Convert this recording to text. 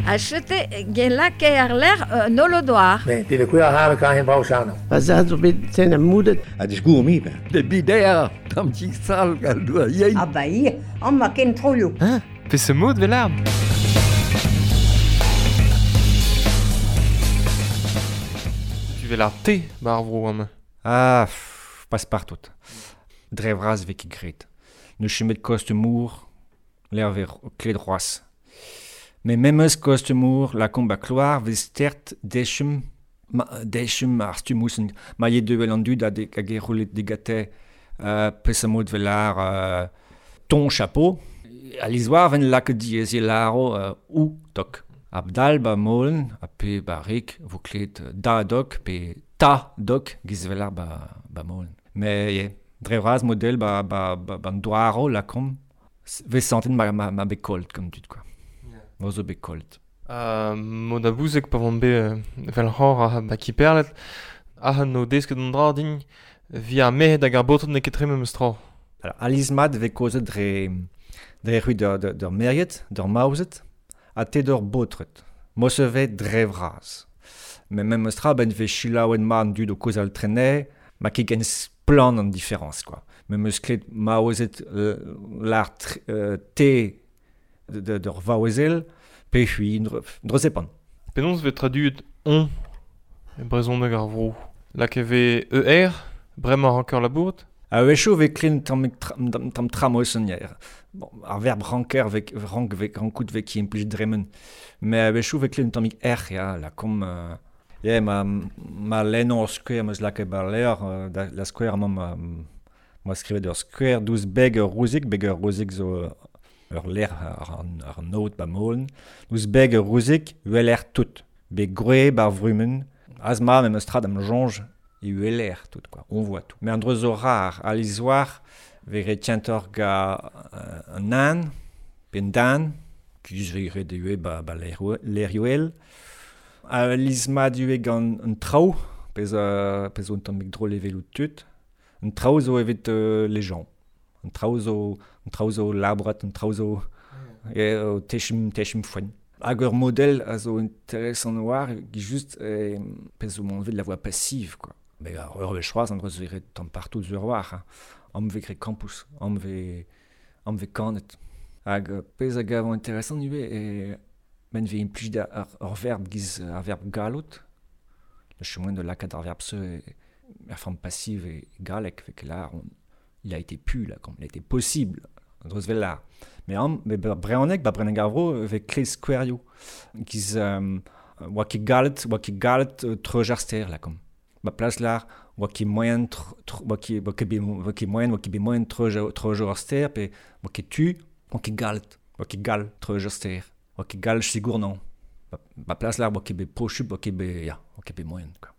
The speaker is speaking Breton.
Ha chete gelake ar ler nolodoar. Ne, det er kuer har kan hen brauchano. Va zad zo bet ten a moudet. A disgour mi ben. De bider, tam tik sal gal doa yein. Ah ba ir, an ma ken troioù. Hein? Pe se mod vel ar? Tu vel ar te bar vro am. Ah, pff, pas partout. Dre vras vez ket graet. Ne chemet kostumour, l'air ver kled roas. Me memes kostumour, la komba kloar vez stert dechem, ma, dechem ar stumousen, ma ye deuel an dud a de, hag e roulet digate pesamod vel ar ton chapeau. A lizoar ven lak diez e laro ou tok. Abdal ba molen, a pe ba rik, vo klet da dok, pe ta dok, giz vel ar ba, ba molen. Me ye, dre vras model ba, ba, ba, ba doaro la kom, vez santen ma, ma, ma bekolt, comme dud, quoi. Ma zo bekolt. Mod a bouzek pa vont be vel c'hor a ba kiperlet, a no desket an dra din via mehed hag ar baotred n'eo ket tre memes tra. Alors, alizmat vez kozet dre, dre c'hwi d'ur, d'ur, d'ur meriet, d'ur maouzet, ha te d'ur baotred. Mo se vez dre vras. Me memes tra ben vez chilaouen ma an dud o koz al trene, ma ket gen splan an différence, quoi. Me meus klet maouzet l'ar te d'ur vaouezel, pe c'hwi dre zepan. Penaos vez traduet on e brezhoneg ar vro. Lak e vez ER, bremañ ranker labourt? A wechoù vez klin tamm tamm tramosen hier. Bon, ar verb ranker vez rank vez rankout vez ki implij dremen. Me a wechoù vez klin tammig R, ya, la kom yeah, ma ma lennon ur skouer meus lakaet bar levr, da, la skouer amañ ma, ma skrivet ur skouer douz beg ur rouzik, beg ur rouzik zo ur ler ar, ar, ar naot ba molen. Douz beg ur rouzik, ueler tout. Beg groe bar vrumen. Az ma memes tra da'm soñj, e ueler tout, quoi. On voit tout. Mais an dro zo rar, a lizoar, vez retientor ga an an, pe un dan, kiz vez ret ue ba, ba lerioel. A lizma du gant un traoù, pez, pez un tammig drôle evel out tud. Un traoù zo evit les gens. Un traoù zo, un traoù zo labrat, un traoù zo e, o techum, techum foen. Hag ur model a zo intéressant war, gi just pez zo m'envie de la voix passive, quoi. Mais ar ur wech c'hoazh, an dro zo ret tamm partout zo ur war, hein. Am vez gret campus, am vez, am vez kanet. Hag pez a gav intéressant ivez, e men vez implij da ar, ur verb giz ar verb gallout. Le chemin de lakaat ar verb se e, er forme passive e galek, fait que là, on, il a été pu, là, comme il a été possible. An dro vel là. Mais am, me ba brehoneg, ba brehoneg ar vro, vez klez skouerioù. Giz, oa ket gallet, oa ket gallet treuj ar ster, là, comme. Ba plas lar, oa ket moyen oa ket, oa ket bet oa ket moyen, oa ket bet moyen treuj ar ster, pe oa ket tu, oa ket gallet, oa ket gall treuj ar ster, oa ket gall sigournan. Ba, ba plas lar, oa ket bet pochub, oa ket bet, ya, oa ket bet moyen, quoi.